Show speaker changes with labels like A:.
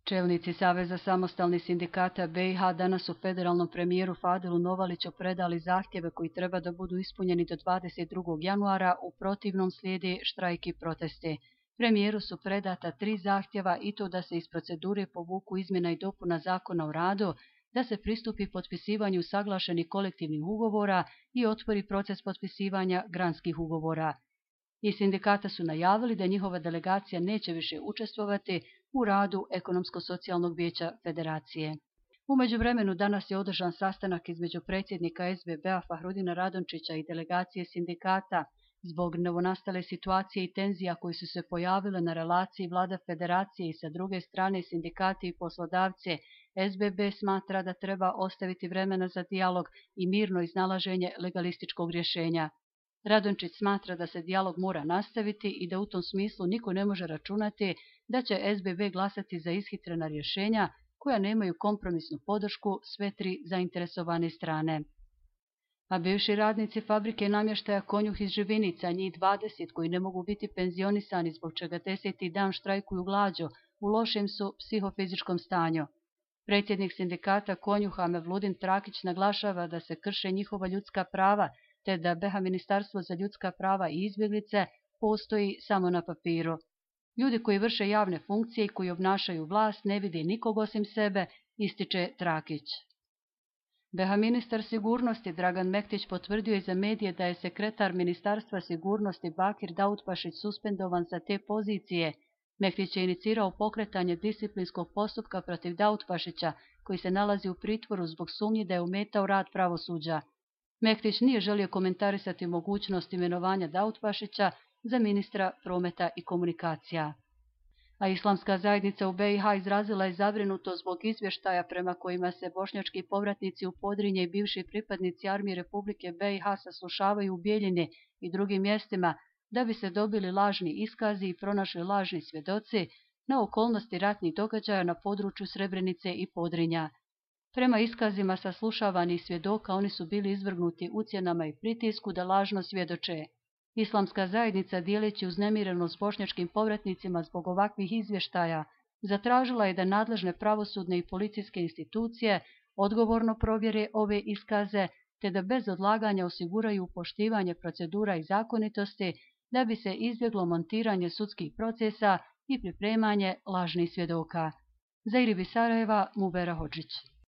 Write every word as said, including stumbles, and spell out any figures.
A: Čelnici Saveza samostalnih sindikata be i ha danas su federalnom premijeru Fadilu Novaliću predali zahtjeve koji treba da budu ispunjeni do dvadeset drugog januara, u protivnom slijede štrajk i proteste. Premijeru su predata tri zahtjeva i to da se iz procedure povuku izmjena i dopuna Zakona o radu, da se pristupi potpisivanju saglašenih kolektivnih ugovora i otvori proces potpisivanja granskih ugovora. Iz sindikata su najavili da njihova delegacija neće više učestvovati u radu Ekonomsko-socijalnog vijeća federacije. U međuvremenu danas je održan sastanak između predsjednika es be be-a Fahrudina Radončića i delegacije sindikata zbog novonastale situacije i tenzija koji su se pojavile na relaciji vlada federacije i sa druge strane sindikati i poslodavce. es be be smatra da treba ostaviti vremena za dijalog i mirno iznalaženje legalističkog rješenja. Radončić smatra da se dijalog mora nastaviti i da u tom smislu niko ne može računati da će es be be glasati za ishitrena rješenja koja nemaju kompromisnu podršku sve tri zainteresovane strane. A bivši radnici fabrike namještaja Konjuh iz Živinica, njih dvadeset koji ne mogu biti penzionisani zbog čega deseti dan štrajkuju glađu, u lošem su psihofizičkom stanju. Predsjednik sindikata Konjuha Mevludin Trakić naglašava da se krše njihova ljudska prava, te da be ha Ministarstvo za ljudska prava i izbjeglice postoji samo na papiru. Ljudi koji vrše javne funkcije i koji obnašaju vlast ne vide nikog osim sebe, ističe Trakić. be ha ministar sigurnosti Dragan Mektić potvrdio je za medije da je sekretar Ministarstva sigurnosti Bakir Dautpašić suspendovan sa te pozicije. Mektić je inicirao pokretanje disciplinskog postupka protiv Dautpašića, koji se nalazi u pritvoru zbog sumnje da je ometao rad pravosuđa. Mektić nije želio komentarisati mogućnost imenovanja Dautpašića za ministra prometa i komunikacija. A islamska zajednica u be i ha izrazila je zabrinutost zbog izvještaja prema kojima se bošnjački povratnici u Podrinje i bivši pripadnici armije Republike be i ha saslušavaju u Bijeljini i drugim mjestima da bi se dobili lažni iskazi i pronašli lažni svjedoci na okolnosti ratnih događaja na području Srebrenice i Podrinja. Prema iskazima saslušavanih svjedoka oni su bili izvrgnuti ucjenama i pritisku da lažno svjedoče. Islamska zajednica, dijeleći uznemirenost s bošnjačkim povratnicima zbog ovakvih izvještaja, zatražila je da nadležne pravosudne i policijske institucije odgovorno provjere ove iskaze, te da bez odlaganja osiguraju poštivanje procedura i zakonitosti da bi se izbjeglo montiranje sudskih procesa i pripremanje lažnih svjedoka. Za Iribi Sarajeva, Mubera Hodžić.